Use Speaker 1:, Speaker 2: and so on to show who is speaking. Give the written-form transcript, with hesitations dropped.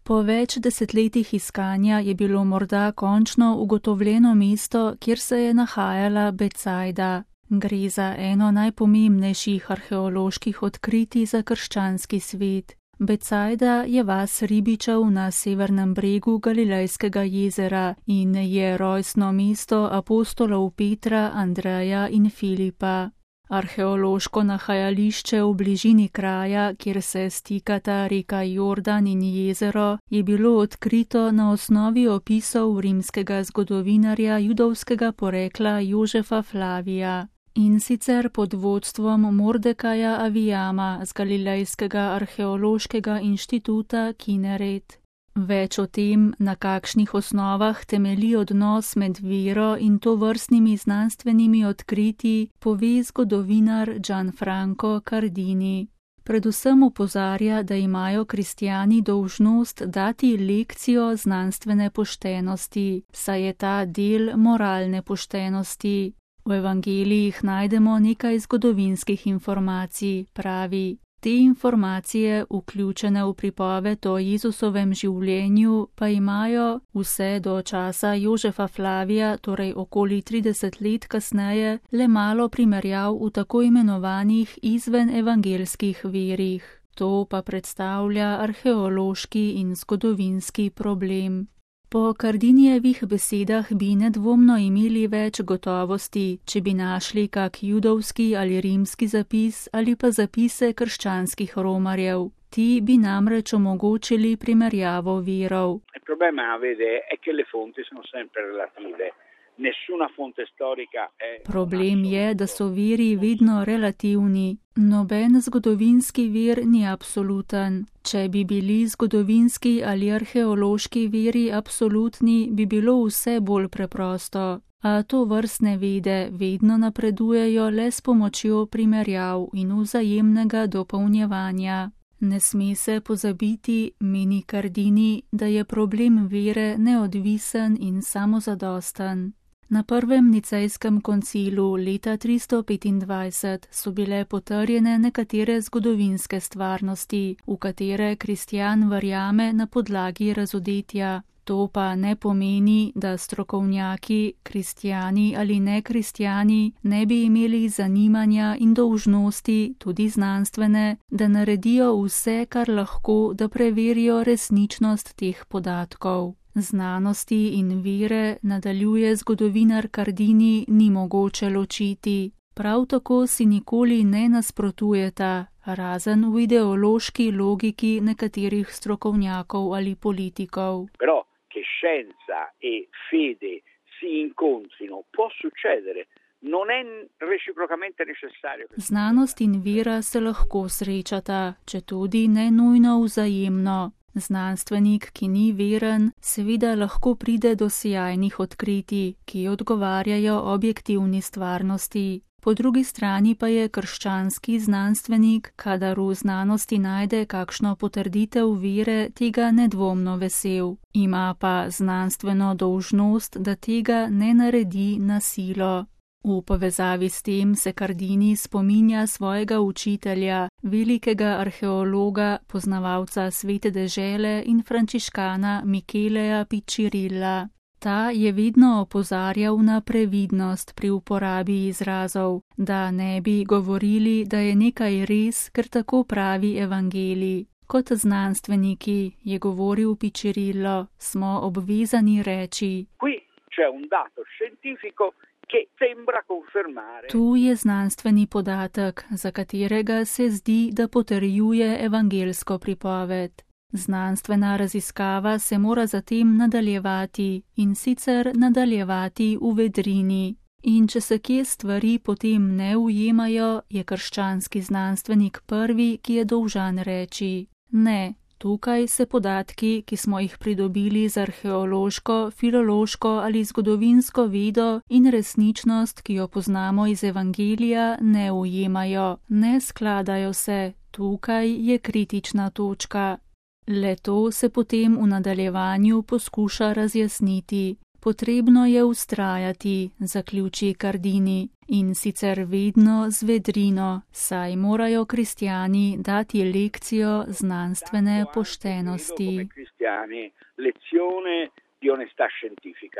Speaker 1: Po več desetletjih iskanja je bilo morda končno ugotovljeno mesto, kjer se je nahajala Becajda. Gre za eno najpomembnejših arheoloških odkritij za krščanski svet. Becajda je vas ribičev na severnem bregu Galilejskega jezera in je rojstno mesto apostolov Petra, Andreja in Filipa. Arheološko nahajališče v bližini kraja, kjer se stikata reka Jordan in jezero, je bilo odkrito na osnovi opisov rimskega zgodovinarja judovskega porekla Jožefa Flavija. In sicer pod vodstvom Mordekaja Avijama z Galilejskega arheološkega inštituta Kineret. Več o tem, na kakšnih osnovah temelji odnos med vero in tovrstnimi znanstvenimi odkritji, pove zgodovinar Gianfranco Cardini. Predvsem opozarja, da imajo kristjani dolžnost dati lekcijo znanstvene poštenosti, saj je ta del moralne poštenosti. V evangelijih najdemo nekaj zgodovinskih informacij, pravi. Te informacije, vključene v pripoved o Jezusovem življenju, pa imajo vse do časa Jožefa Flavija, torej okoli 30 let kasneje, le malo primerjav v tako imenovanih izvenevangelskih virih. To pa predstavlja arheološki in zgodovinski problem. Po Cardinijevih besedah bi nedvomno imeli več gotovosti, če bi našli kak judovski ali rimski zapis ali pa zapise krščanskih romarjev. Ti bi namreč omogočili primerjavo virov. Problem je, da so viri vedno relativni. Noben zgodovinski vir ni absoluten. Če bi bili zgodovinski ali arheološki viri absolutni, bi bilo vse bolj preprosto. A tovrstne vede vedno napredujejo le s pomočjo primerjav in vzajemnega dopolnjevanja. Ne sme se pozabiti, meni Cardini, da je problem vere neodvisen in samozadosten. Na prvem nicejskem koncilu leta 325 so bile potrjene nekatere zgodovinske stvarnosti, v katere kristjan verjame na podlagi razodetja. To pa ne pomeni, da strokovnjaki, kristjani ali nekristjani, ne bi imeli zanimanja in dolžnosti, tudi znanstvene, da naredijo vse, kar lahko, da preverijo resničnost teh podatkov. Znanosti in vere, nadaljuje zgodovinar Cardini, ni mogoče ločiti. Prav tako si nikoli ne nasprotujeta, razen v ideološki logiki nekaterih strokovnjakov ali politikov.
Speaker 2: Però che scienza e fede si incontrino può succedere. Non è reciprocamente necessario.
Speaker 1: Znanost in vera se lahko srečata, četudi ne nujno vzajemno. Znanstvenik, ki ni veren, seveda lahko pride do sijajnih odkritij, ki odgovarjajo objektivni stvarnosti. Po drugi strani pa je krščanski znanstvenik, kadar v znanosti najde kakšno potrditev vere, tega nedvomno vesel. Ima pa znanstveno dolžnost, da tega ne naredi na silo. V povezavi s tem se Cardini spominja svojega učitelja, velikega arheologa, poznavalca svete dežele in frančiškana Micheleja Piccirilla. Ta je vedno opozarjal na previdnost pri uporabi izrazov, da ne bi govorili, da je nekaj res, ker tako pravi evangelij. Kot znanstveniki, je govoril Piccirillo, smo obvezani reči:
Speaker 2: Qui c'è un dato scientifico che sembra confermare.
Speaker 1: Tu je znanstveni podatek, za katerega se zdi, da potrjuje evangelsko pripoved. Znanstvena raziskava se mora zatem nadaljevati in sicer nadaljevati v vedrini. In če se kje stvari potem ne ujemajo, je krščanski znanstvenik prvi, ki je dolžan reči: ne, tukaj se podatki, ki smo jih pridobili z arheološko, filološko ali zgodovinsko vedo in resničnost, ki jo poznamo iz evangelija, ne ujemajo, ne skladajo se, tukaj je kritična točka. Le to se potem v nadaljevanju poskuša razjasniti. Potrebno je vztrajati, zaključi Cardini, In sicer vedno z vedrino, saj morajo kristjani dati lekcijo znanstvene poštenosti.
Speaker 2: Lezione di onestà scientifica.